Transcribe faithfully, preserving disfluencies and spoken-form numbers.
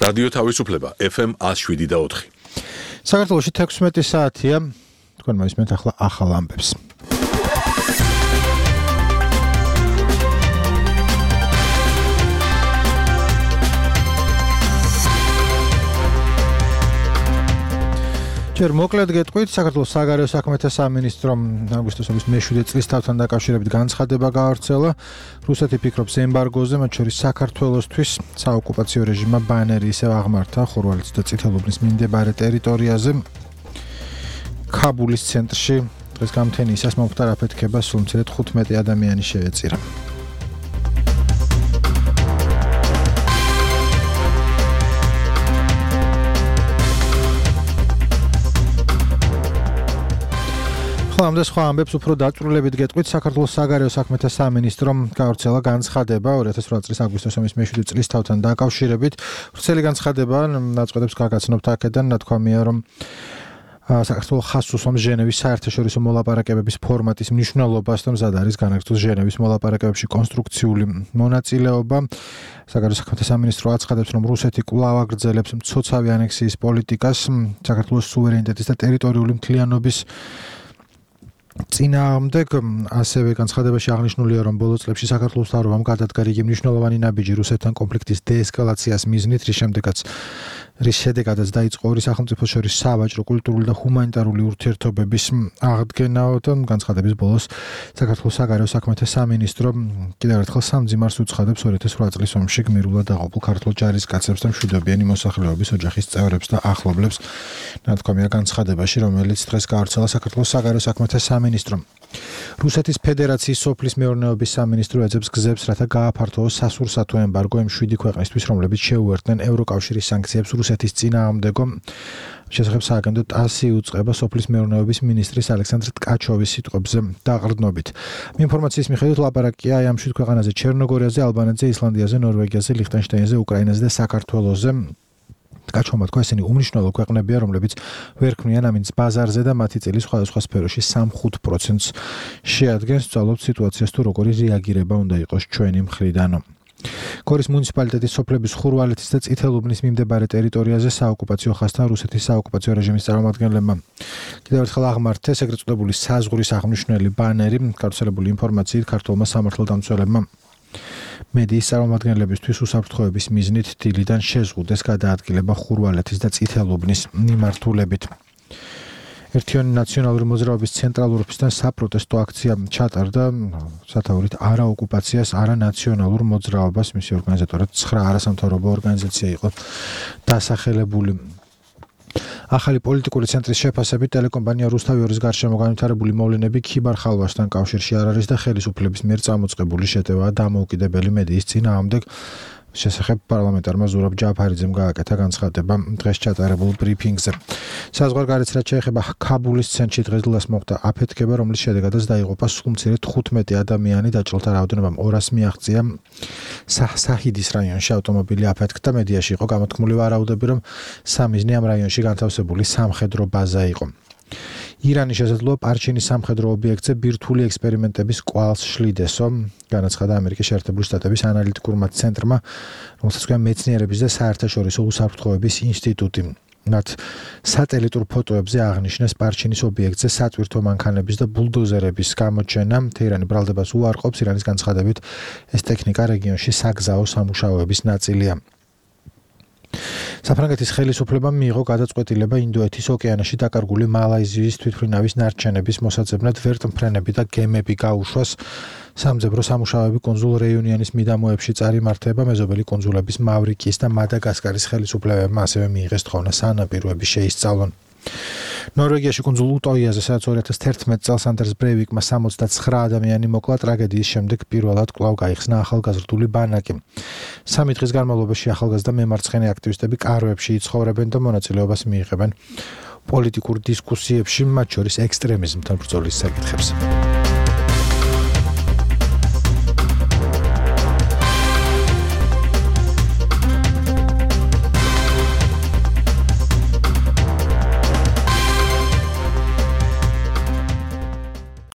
რადიო თავისუფლება F M one oh seven და four. საქართველოში თექვსმეტი საათია. თქვენ მოისმენთ ახლა ახალ ამბებს. ჯერ მოკლედ გეტყვით, საქართველოს საგარეო საქმეთა სამინისტრომ აგვისტოს მეშვიდე წლის თავთან დაკავშირებით განცხადება გაავრცელა. რუსეთი ფიქრობს ემბარგოზე, მათ შორის საქართველოსთვის საოკუპაციო რეჟიმმა ბანერი ისევ აღმართა ხურვალის და წითელუბნის მიმდებარე ტერიტორიაზე. ქაბულის ცენტრში დღეს გამთენიისას მომხდარ აფეთქებას სულ მცირედ თხუთმეტი ადამიანი შეეწირა. ხომ და სხვა ამბებს უფრო დაწვრილებით გეტყვით, საქართველოს საგარეო საქმეთა სამინისტრომ გაავრცელა განცხადება ორი ათას ოთხ წლის აგვისტოს მეშვიდე წლის თავთან დაკავშირებით. ვრცელი განცხადება ნაწყვეტებს გაგაცნობთ აქედან, ნათქვამია, რომ საქართველოს ხაზს უსვამს ჟენევის საერთაშორისო მოლაპარაკებების ფორმატის მნიშვნელობას და მზად არის განაგრძოს ჟენევის მოლაპარაკებებში კონსტრუქციული მონაწილეობა. საგარეო საქმეთა სამინისტრო აცხადებს, რომ რუსეთი კვლავ აგრძელებს მცოცავი ანექსიის პოლიტიკას საქართველოს სუვერენიტეტის და ტერიტორიული მთლიანობის წინააღმდეგ. ასევე განცხადებაში აღნიშნულია, რომ ბოლო წლებში საქართველოს მთავრობამ გადადგა რიგი მნიშვნელოვანი ნაბიჯი რუსეთთან კონფლიქტის დეესკალაციას მიზნით, რის შემდეგაც რის შედეგადაც დაიწყო ორი სახელმწიფოს შორის სავაჭრო, კულტურული და ჰუმანიტარული ურთიერთობების აღდგენა. განცხადების ბოლოს საქართველოს საგარეო საქმეთა სამინისტრო კიდევ ერთხელ სამძიმარს უცხადებს ორი ათას ოთხ წლის ომში გმირულად დაყოფილ ქართველ ჯარისკაცებს და მშვიდობიანი მოსახლეობის ოჯახის წევრებს და ახლობლებს. ნათქვამია განცხადებაში, რომელიც დღეს გაავრცელა საქართველოს საგარეო საქმეთა სამინისტრომ. რუსეთის ფედერაციის სოფლის მეურნეობის სამინისტრო ეძებს გზებს, რათა გააფართოოს სასურსათო ემბარგო იმ შვიდი ქვეყნისთვის, რომლებიც შეუერთდნენ ევროკავშირის სანქციებს რუსეთის წინააღმდეგო. შესახებ სააგენტო ტასი უწყება სოფლის მეურნეობის მინისტრის ალექსანდრ ტკაჩოვის სიტყვებზე დაყრდნობით. ინფორმაციის მიხედვით ლაპარაკია ამ შვიდ ქვეყანაზე: ჩერნოგორიაზე, ალბანეთზე, ისლანდიაზე, ნორვეგიაზე, ლიხტენშტაინზე, უკრაინაზე და საქართველოზე. ტკაჩოვმა თქვა, ესენი უმნიშვნელო ქვეყნებია, რომლებიც ვერ ქმნიან ამინდს ბაზარზე და მათი წილი სხვადასხვა სფეროში სამ-ხუთ პროცენტს შეადგენს. ვსწავლობთ სიტუაციას თუ როგორი რეაგირება უნდა იყოს ჩვენი მხრიდან. გორის მუნიციპალიტეტის სოფლების ხურვალეთის და წითელუბნის მიმდებარე ტერიტორიაზე საოკუპაციო ხაზთან რუსეთის საოკუპაციო რეჟიმის წარმომადგენლებმა კიდევ ერთხელ აღმართეს ეგრეთ წოდებული საზღვრის აღმნიშვნელი ბანერი. გავრცელებული ინფორმაციით ქართულმა სამართალდამცველებმა მედიის წარმომადგენლებისთვის უსაფრთხოების მიზნით დილიდან შეზღუდეს გადაადგილება ხურვალეთის და წითელუბნის მიმართულებით. ერთიანი ნაციონალური მოძრაობის ცენტრალურ ოფისთან საპროტესტო აქცია ჩატარდა სათაურით არა ოკუპაციას, არა ნაციონალურ მოძრაობას. მისი ორგანიზატორად ცხრა არასამთავრობო ორგანიზაცია იყო დასახელებული. ახალი პოლიტიკური ცენტრის შეფასებით ტელეკომპანია რუსთავიორის გარშემო განვითარებული მოვლენები ქიბარ ხალვასთან კავშირში არ არის და ხელისუფლების მიერ წამოწყებული შეტევაა დამოუკიდებელი მედიის წინააღმდეგ. შესახებ პარლამენტარმა ზურაბ ჯაფარიძემ გააკეთა განცხადება დღეს ჩატარებულ ბრიფინგზე. საზღვარგარეთ რაც შეეხება ქაბულის ცენტრში დღეს დილას მოხდა აფეთქება, რომლის შედეგადაც დაიღუპა სულ მცირედ თხუთმეტი ადამიანი, დაჭრილთა რაოდენობამ ორას მიაღწია. საჰიდის რაიონში ავტომობილი აფეთქდა. მედიაში იყო გამოთქმული ვარაუდები, რომ სამიზნე ამ რაიონში განთავსებული სამხედრო ბაზა იყო. ირანი შესაძლოა პარჩინის სამხედრო ობიექტზე ბირთვული ექსპერიმენტების კვალს შლიდესო, განაცხადა ამერიკის შეერთებული შტატების ანალიტიკურმა ცენტრმა, რომელსაც ქვია მეცნიერების და საერთაშორისო უსაფრთხოების ინსტიტუტი. მათ სატელიტურ ფოტოებზე აღნიშნეს პარჩინის ობიექტზე სატვირთო მანქანების და ბულდოზერების გამოჩენა. თეირანი ბრალდებას უარყოფს. ირანის განცხადებით ეს ტექნიკა რეგიონში საგზაო სამუშაოების ნაწილია. საფრანგეთის ხელისუფლებამ მიიღო გადაწყვეტილება ინდოეთის ოკეანეში დაკარგული მალაიზიის თვითმფრინავის ნარჩენების მოსაძებნად ვერტმფრენები და გემები გაუშვას. სამძებრო სამუშაოები კუნძულ რეიუნიანის მიდამოებში წარიმართება. მეზობელი კუნძულების მავრიკიის და მადაგასკარის ხელისუფლებებმა ასევე მიიღეს თხოვნა სანაპიროები შეისწავლონ. ნორვეგიაში კუნძულ უტოიაზე, სადაც ორი ათას თერთმეტ წელს ანდერს ბრეივიკმა სამოცდაცხრა ადამიანი მოკლა, ტრაგედიის შემდეგ პირველად კვლავ გაიხსნა ახალგაზრდული ბანაკი. სამი დღის განმავლობაში ახალგაზრდა მემარცხენე აქტივისტები კარვებში იცხოვრებენ და მონაწილეობას მიიღებენ პოლიტიკურ დისკუსიებში, მათ შორის ექსტრემიზმთან ბრძოლის საკითხებზე.